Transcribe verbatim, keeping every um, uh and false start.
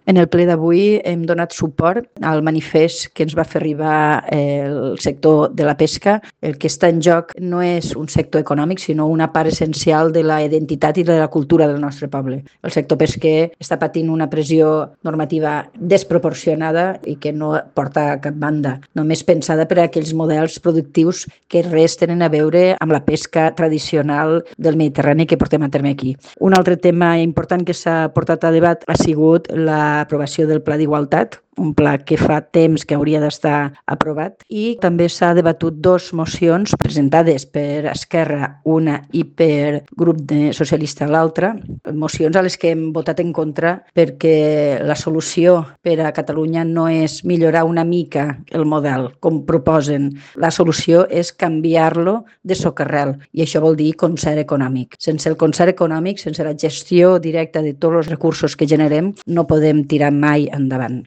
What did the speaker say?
En el ple d'avui hem donat suport al manifest que ens va fer arribar el sector de la pesca. El que està en joc no és un sector econòmic, sinó una part essencial de la identitat i de la cultura del nostre poble. El sector pesquer està patint una pressió normativa desproporcionada i que no porta a cap banda, només pensada per a aquells models productius que res tenen a veure amb la pesca tradicional del Mediterrani que portem a terme aquí. Un altre tema important que s'ha portat a debat ha sigut l'aprovació del Pla d'Igualtat, un pla que fa temps que hauria d'estar aprovat, i també s'ha debatut dos mocions presentades per Esquerra, una, i per grup de socialista, l'altra, mocions a les que hem votat en contra perquè la solució per a Catalunya no és millorar una mica el model, com proposen. La solució és canviar-lo de socarrel, i això vol dir concert econòmic. Sense el concert econòmic, sense la gestió directa de tots els recursos que generem, no podem tirar mai endavant.